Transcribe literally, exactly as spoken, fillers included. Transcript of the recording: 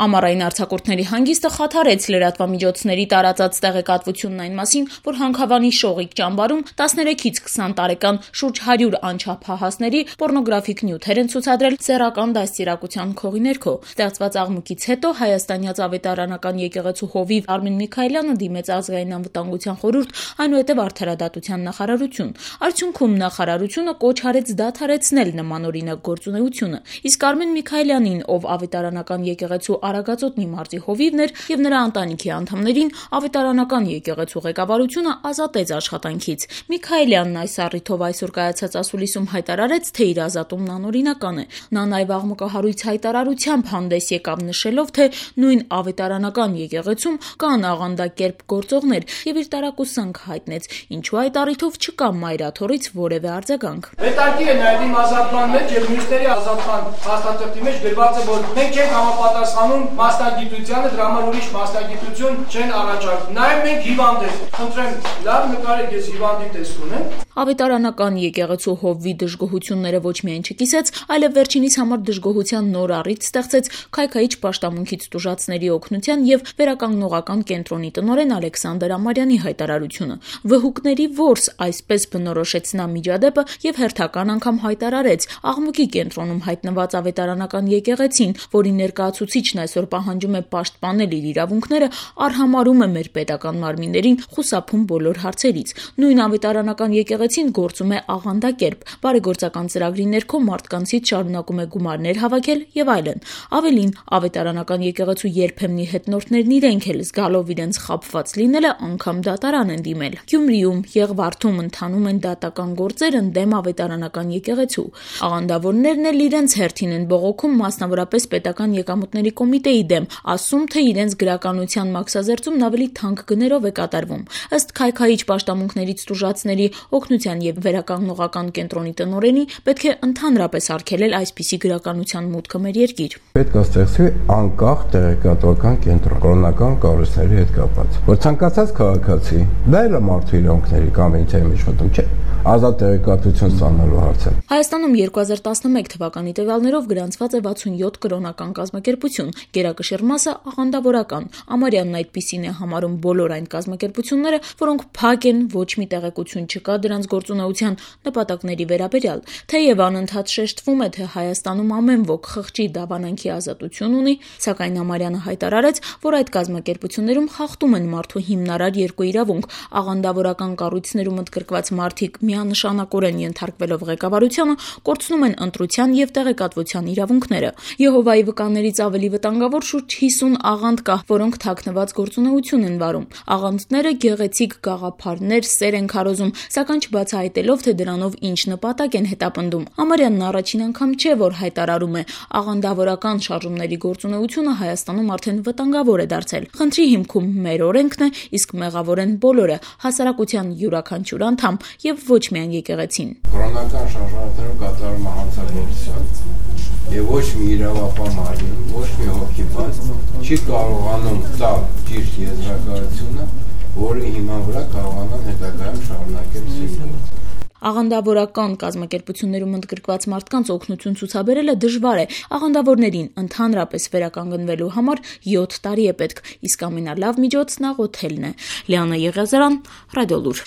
Ամառային արձակուրդների հանգիստը խաթարեց լրատվամիջոցների տարածած տեղեկատվությունն այն մասին, որ Հանքավանի Շողիկ ճամբարում տասներեքից քսան տարեկան շուրջ հարյուր անչափահասների պոռնոգրաֆիկ նյութեր են ցուցադրել սեռական դաստիարակության քողի ներքո։ Ստեղծված աղմուկից հետո հայաստանյաց ավետարանական եկեղեցու հովիվ Արմեն Միքայելյանը դիմեց Ազգային անվտանգության խորհուրդ, այնուհետև Արդարադատության նախարարություն։ Արդյունքում նախարարությունը կոչ արեց դադարեցնել նմանօրինակ գործունեությունը, իսկ Արմեն Միքայելյանին, ով ավետարանական եկեղեցու Արագածոտնի մարզի հովիվն էր, եւ նրա ընտանիքի անդամներին ավետարանական եկեղեցու ղեկավարությունը ազատեց աշխատանքից։ Միքայելյանն այս առիթով այսօր կայացած ասուլիսում հայտարարեց, թե իր ազատումն անօրինական է։ Նա նաեւ աղմկահարույց հայտարարությամբ հանդես եկավ, նշելով, թե նույն ավետարանական եկեղեցում կան աղանդակերպ գործողներ եւ իր տարակուսանք հայտնեց, ինչու այդ առիթով չկա մայրաթորից որևէ արձագանք։ Հետաքրքիր է նաեւ իմ ազատման մեջ եւ մյուսների ազատման հաստատակի մեջ գրված է, որ մենք չենք համապատասխանում մասնագիտությանը, դրա համար ուրիշ մասնագիտություն չեն առաջարկում։ Նաեւ մենք հիվանդ ենք։ Խնդրեմ, լավ նկարեք, ես հիվանդի տեսք ունեմ։ Ավետարանական եկեղեցու հովվի դժգոհությունները ոչ միայն չկիսեց, այլև վերջինիս համար դժգոհության նոր առիթ ստեղծեց քայքայիչ պաշտամունքից տուժածների օգնության եւ վերականգնողական կենտրոնի տնօրեն Ալեքսանդր Ամարյանի հայտարարությունը։ Վհուկների որս, այսպես բնորոշեց նա միջադեպը եւ հերթական անգամ հայտարարեց, աղմուկի կենտրոնում հայտնված ավետարանական եկեղեցին, որի ներկայացուցիչն այսօր պահանջում է պաշտպանել իր իրավունքները, արհամարհում է մեր պետական մարմիններին, խուսափում բոլոր հարցերից։ Նույն ավետարանական եկեղեցին գործում է աղանդակերպ, բարեգործական ծրագրի ներքո մարդկանցից շարունակում է գումարներ հավաքել եւ այլն։ Ավելին, ավետարանական եկեղեցու երբեմնի հետնորդներն իրենք էլ զգալով իրենց խաբված լինելը անգամ դատարան են դիմել։ Գյումրիում, Եղվարդում ընթանում են դատական գործեր ընդդեմ ավետարանական եկեղեցու։ Աղանդավորներն էլ իրենց հերթին են բողոքում մասնավորապես պետական եկամուտների կոմիտեի դեմ, ասում, թե իրենց գրականության մաքսազերծումն ավելի թանկ գներով է կատարվում։ Ըստ քայքայիչ պաշտամունքներից տուժածների օգնության եւ վերականգնողական կենտրոնի տնօրենի, պետք է ընդհանրապես արգելել այսպիսի գրականության մուտքը մեր երկիր։ Պետք է ստեղծվի անկախ տեղեկատվական կենտրոն կրոնական կառույցների հետ կապված, որ ցանկացած քաղաքացի, դա էլ է մարդու իրավունքների կոնվենցիայի մեջ մտնում, չէ՞, ազատ տեղեկատվություն ստանալու հարցը։ Հայաստանում երկու հազար տասնմեկ թվականի տվյալներով գրանցված է վաթսունյոթ կրոնական կազմակերպություն, գերակշիռ մասը աղանդավորական։ Ամարյանն այդպիսին է համարում բոլոր այն կազմակերպությունները, որոնք փակ են, ոչ մի տեղեկություն չկա դրանց գործունեության նպատակների վերաբերյալ։ Թեև անընդհատ շեշտվում է, թե Հայաստանում ամեն ոք խղճի դավանանքի ազատություն ունի, սակայն Ամարյանը հայտարարեց, որ այդ կազմակերպություններում խախտում են մարդու հիմնարար երկու իրավունք, աղանդավորական կառույցներում ընդգրկված մարդիկ միանշանակորեն ենթարկվելով ղեկավարությանը կորցնում են ընտրության եւ տեղեկատվության իրավունքները։ Եհովայի վկաներից ավելի վտանգավոր շուրջ հիսուն աղանդ կա, որոնք թաքնված գործունեություն են վարում։ Աղանդները գեղեցիկ գաղափարներ, սեր են քարոզում, սակայն չբացահայտելով, թե դրանով ինչ նպատակ են հետապնդում։ Ամարյանն առաջին անգամ չէ, որ հայտարարում է, աղանդավորական շարժումների գործունեությունը Հայաստանում արդեն վտանգավոր է դարձել։ Խնդրի հիմքում մեր օրենքն է, իսկ մեղավոր են բոլորը, հասարակության յուրաքանչյուր անդամ եւ ոչ միայն եկեղեցին։ Կրոնական շարժառիթներում կատարում է հանցագործություն եւ ոչ մի իրավապահ մարմին, ոչ մի հոգիբաց չի կարողանում տալ ճիշտ եզրակացությունը, որի հիման վրա կարողանան հետագայում շարունակել սիրել։ Աղանդավորական կազմակերպություններում ընդգրկված մարդկանց օգնություն ցուցաբերելը դժվար է։ Աղանդավորներին ընդհանրապես վերականգնվելու համար յոթ տարի է պետք, իսկ ամենալավ միջոցն աղոթելն է։ Լիանա Եղիազարյան, Ռադիոլուր։